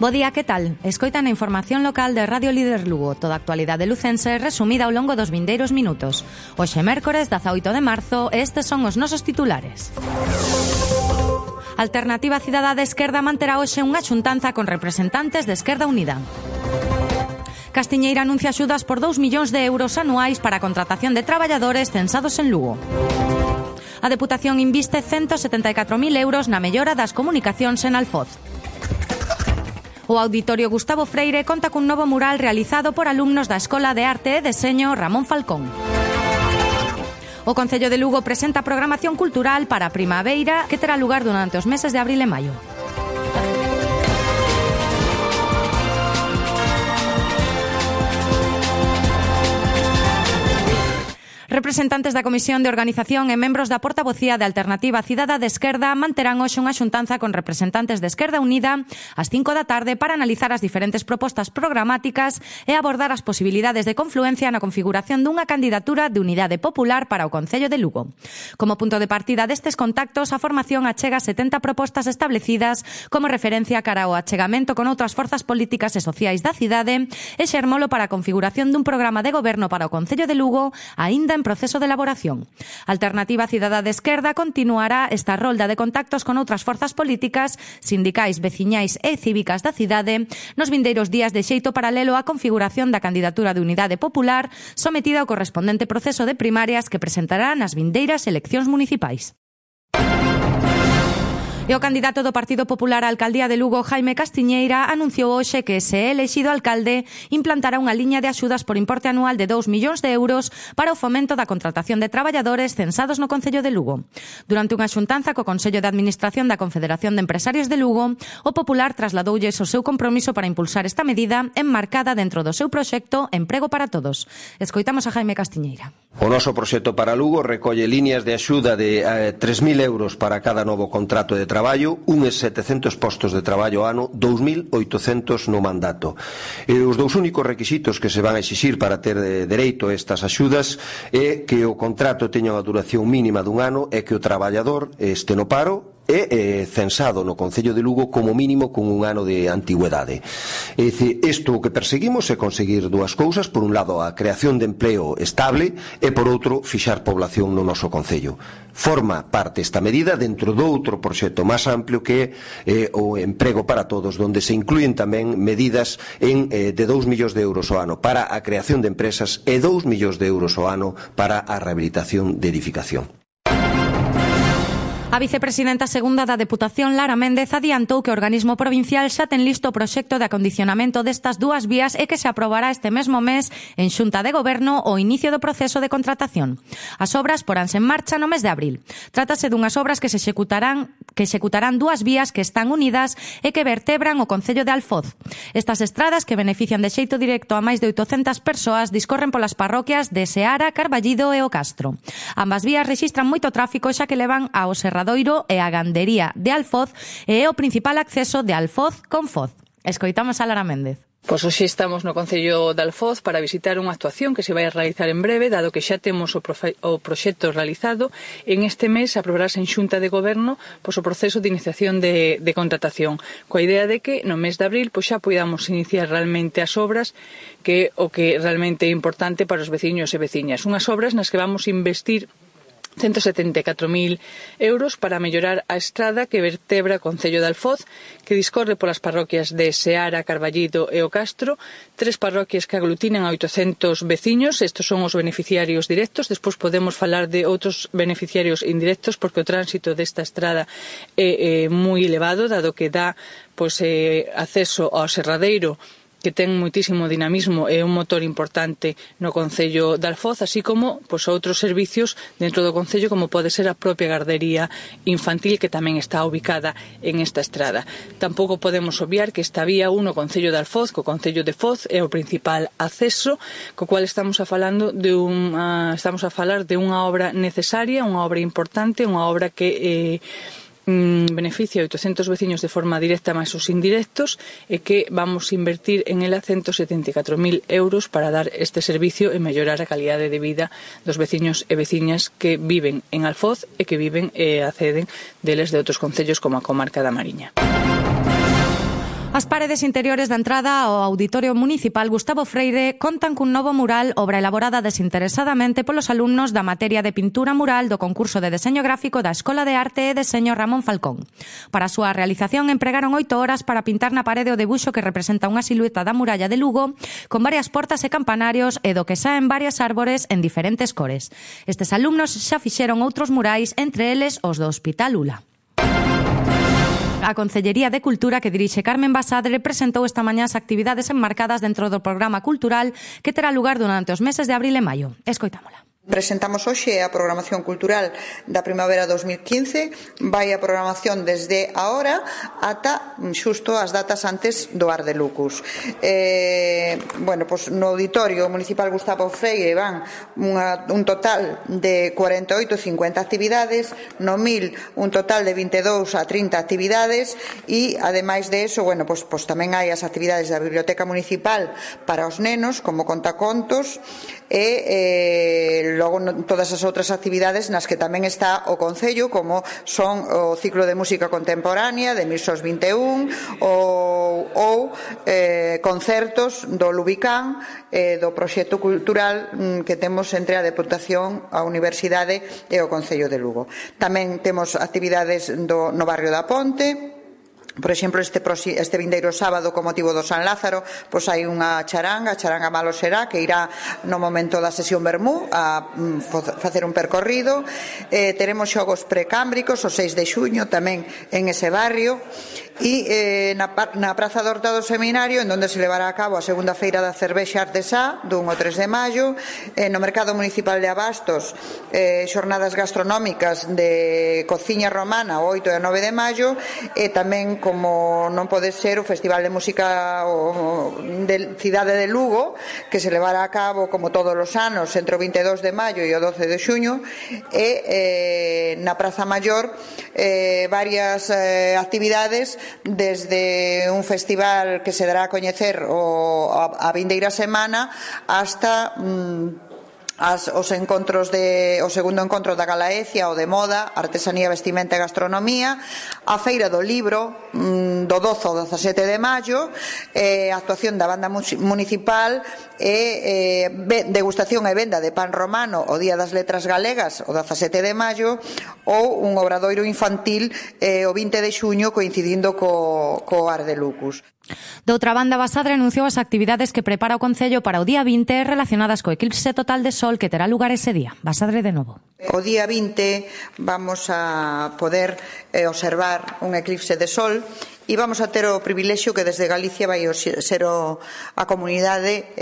Bo día, que tal? Escoitan a información local de Radio Líder Lugo, toda a actualidade lucense resumida ao longo dos vindeiros minutos. Hoxe mércores, 18 de marzo, estes son os nosos titulares. Alternativa Cidadá de Esquerda manterá hoxe unha xuntanza con representantes de Esquerda Unida. Castiñeira anuncia axudas por 2 millóns de euros anuais para a contratación de traballadores censados en Lugo. A Deputación inviste 174.000 euros na mellora das comunicacións en Alfoz. O Auditorio Gustavo Freire conta cun novo mural realizado por alumnos da Escola de Arte e Deseño Ramón Falcón. O Concello de Lugo presenta programación cultural para a primavera que terá lugar durante os meses de abril e maio. Representantes da Comisión de Organización e membros da portavocía de Alternativa Cidadá de Esquerda manterán hoxe unha xuntanza con representantes de Esquerda Unida ás 5 da tarde para analizar as diferentes propostas programáticas e abordar as posibilidades de confluencia na configuración dunha candidatura de Unidade Popular para o Concello de Lugo. Como punto de partida destes contactos, a formación achega 70 propostas establecidas como referencia cara ao achegamento con outras forzas políticas e sociais da cidade e xermolo para a configuración dun programa de goberno para o Concello de Lugo aínda en proceso de elaboración. Alternativa Cidadá de Esquerda continuará esta rolda de contactos con outras forzas políticas, sindicais, veciñais e cívicas da cidade nos vindeiros días de xeito paralelo á configuración da candidatura de Unidade Popular sometida ao correspondente proceso de primarias que presentará nas vindeiras eleccións municipais. E o candidato do Partido Popular á Alcaldía de Lugo, Jaime Castiñeira, anunciou hoxe que, se é elexido alcalde, implantará unha liña de axudas por importe anual de 2 millóns de euros para o fomento da contratación de traballadores censados no Concello de Lugo. Durante unha xuntanza co Consello de Administración da Confederación de Empresarios de Lugo, o Popular trasladoulles o seu compromiso para impulsar esta medida enmarcada dentro do seu proxecto Emprego para Todos. Escoitamos a Jaime Castiñeira. O noso proxecto para Lugo recolle líneas de axuda de 3.000 euros para cada novo contrato de traballo, uns 700 postos de traballo ano, 2.800 no mandato. E os dous únicos requisitos que se van a exixir para ter dereito a estas axudas é que o contrato teña unha duración mínima dun ano e que o traballador este no paro e censado no Concello de Lugo como mínimo con un ano de antigüedade. É dicir, isto o que perseguimos é conseguir dúas cousas: por un lado a creación de empleo estable e por outro fixar población no noso Concello. Forma parte esta medida dentro do outro proxecto máis amplio que é o Emprego para Todos, onde se inclúen tamén medidas de 2 millóns de euros ao ano para a creación de empresas e 2 millóns de euros ao ano para a rehabilitación de edificación. A vicepresidenta segunda da Deputación, Lara Méndez, adiantou que o organismo provincial xa ten listo o proxecto de acondicionamento destas dúas vías e que se aprobará este mesmo mes en Xunta de Goberno o inicio do proceso de contratación. As obras poránse en marcha no mes de abril. Trátase dunhas obras que executarán dúas vías que están unidas e que vertebran o Concello de Alfoz. Estas estradas, que benefician de xeito directo a máis de 800 persoas, discorren polas parroquias de Seara, Carballido e O Castro. Ambas vías rexistran moito tráfico xa que levan ao Serradoiro e a Gandería de Alfoz e é o principal acceso de Alfoz con Foz. Escoitamos a Lara Méndez. Pois hoxe estamos no Concello de Alfoz para visitar unha actuación que se vai a realizar en breve, dado que xa temos o proxecto realizado. En este mes aprobarase en Xunta de Goberno pois o proceso de iniciación de contratación, coa idea de que no mes de abril pois xa podamos iniciar realmente as obras, que o que realmente é importante para os veciños e veciñas. Unhas obras nas que vamos investir 174.000 euros para mellorar a estrada que vertebra o Concello de Alfoz, que discorre polas parroquias de Seara, Carballido e O Castro, 3 parroquias que aglutinan a 800 veciños. Estos son os beneficiarios directos. Despois podemos falar de outros beneficiarios indirectos, porque o tránsito desta estrada é moi elevado, dado que dá acceso ao Serradeiro, que ten moitísimo dinamismo e un motor importante no Concello de Alfoz, así como outros servicios dentro do Concello, como pode ser a propia gardería infantil, que tamén está ubicada en esta estrada. Tampouco podemos obviar que esta vía 1 Concello de Alfoz, co Concello de Foz, é o principal acceso, co cual estamos a falar de unha obra necesaria, unha obra importante, unha obra que beneficia a 800 veciños de forma directa máis os indirectos, e que vamos a invertir en ela 174.000 euros para dar este servicio e mellorar a calidade de vida dos veciños e veciñas que viven en Alfoz e que viven e acceden deles de outros concellos como a comarca da Mariña. As paredes interiores da entrada ao Auditorio Municipal Gustavo Freire contan cun novo mural, obra elaborada desinteresadamente polos alumnos da materia de pintura mural do concurso de deseño gráfico da Escola de Arte e Deseño Ramón Falcón. Para a súa realización empregaron 8 horas para pintar na parede o debuxo que representa unha silueta da muralla de Lugo con varias portas e campanarios e do que saen varias árbores en diferentes cores. Estes alumnos xa fixeron outros murais, entre eles os do Hospital Ula. A Concellería de Cultura, que dirixe Carmen Basadre, presentou esta mañá as actividades enmarcadas dentro do programa cultural que terá lugar durante os meses de abril e maio. Escoitámola. Presentamos hoxe a programación cultural da primavera 2015. Vai a programación desde ahora ata xusto as datas antes do Ar de Lucus. No Auditorio Municipal Gustavo Freire van un total de 48-50 actividades, no 1000 un total de 22 a 30 actividades e, ademais de eso, tamén hai as actividades da Biblioteca Municipal para os nenos, como contacontos, e logo todas as outras actividades nas que tamén está o Concello, como son o ciclo de música contemporánea de 1021 ou concertos do Lubicán, do proxecto cultural que temos entre a Deputación, a Universidade e o Concello de Lugo. Tamén temos actividades no barrio da Ponte. Por exemplo, este vindeiro sábado, con motivo do San Lázaro, hai unha charanga Malo Será, que irá no momento da sesión vermú a facer un percorrido. Teremos xogos precámbricos o 6 de xuño tamén en ese barrio, e na Praza do Horta do Seminario, en onde se levará a cabo a segunda feira da cervexa artesá do 1 ao 3 de maio. No Mercado Municipal de Abastos, xornadas gastronómicas de cociña romana o 8 e 9 de maio, e tamén, como non pode ser, o Festival de Música de Cidade de Lugo, que se levará a cabo, como todos os anos, entre o 22 de maio e o 12 de xuño, e na Praza Maior varias actividades, desde un festival que se dará a coñecer a vindeira semana hasta os encontros o segundo encontro da Galaecia, o de moda, artesanía, vestimenta e gastronomía, a Feira do Libro do 12 ao 17 de maio, a actuación da banda municipal, e degustación e venda de pan romano o Día das Letras Galegas o 17 de maio, ou un obradoiro infantil o 20 de xuño, coincidindo co Ar de Lucus. Doutra banda, Basadre anunciou as actividades que prepara o Concello para o día 20 relacionadas co eclipse total de sol que terá lugar ese día. Basadre de novo. O día 20 vamos a poder observar un eclipse de sol e vamos a ter o privilexio que desde Galicia vai ser a comunidade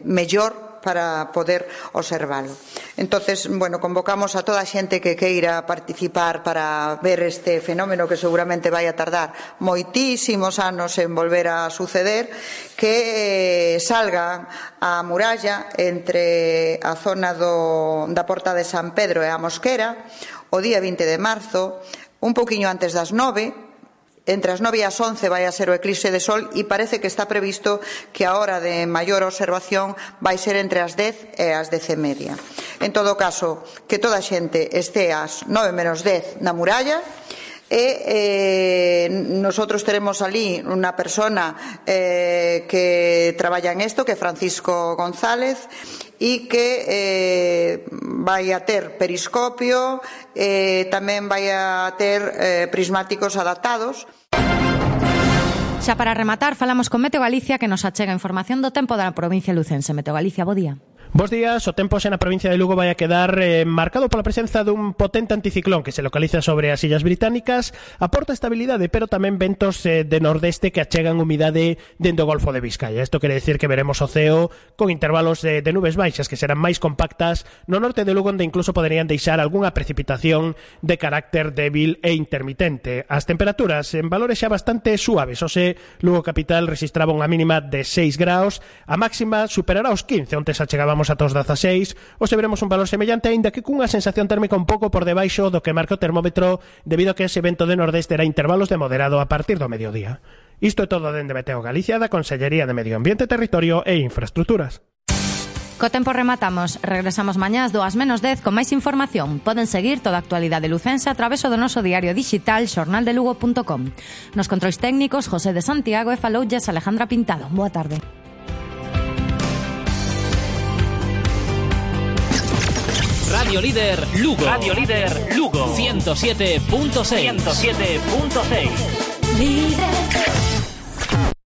mellor para poder observalo. Entonces, convocamos a toda a xente que queira participar para ver este fenómeno, que seguramente vai a tardar moitísimos anos en volver a suceder, que salga a muralla entre a zona da Porta de San Pedro e a Mosquera o día 20 de marzo, un pouquiño antes das 9. Entre as 9 e as 11 vai a ser o eclipse de sol, e parece que está previsto que a hora de maior observación vai ser entre as 10 e as 10:30. En todo caso, que toda a xente este ás 9 menos 10 na muralla, e nosotros teremos ali unha persona que traballa en isto, que é Francisco González, e que vai a ter periscopio, tamén vai a ter prismáticos adaptados. Xa para rematar, falamos con Meteo Galicia, que nos achega información do tempo da provincia lucense. Meteo Galicia, bo día. Bos días, o tempo xa na provincia de Lugo vai a quedar marcado pola presenza dun potente anticiclón que se localiza sobre as Illas Británicas, aporta estabilidade, pero tamén ventos de nordeste que achegan humidade dentro do Golfo de Vizcaya. Isto quere decir que veremos o ceo con intervalos de nubes baixas que serán máis compactas no norte de Lugo, onde incluso poderían deixar algunha precipitación de carácter débil e intermitente. As temperaturas en valores xa bastante suaves, Lugo capital registraba unha mínima de 6 graus, a máxima superará os 15, onde se achegábamos a tos 16, hoxe veremos un valor semellante, aínda que cunha sensación térmica un pouco por debaixo do que marca o termómetro, debido a que ese vento de nordeste era intervalos de moderado a partir do mediodía. Isto é todo dende Meteo Galicia, da Consellería de Medio Ambiente, Territorio e Infraestructuras. Co tempo rematamos. Regresamos mañá ás 2:10 con máis información. Poden seguir toda a actualidade lucense a través do noso diario digital xornaldelugo.com. Nos controis técnicos José de Santiago e faloulles Alejandra Pintado. Boa tarde. Radio Líder Lugo. Radio Líder Lugo. 107.6. 107.6. Líder.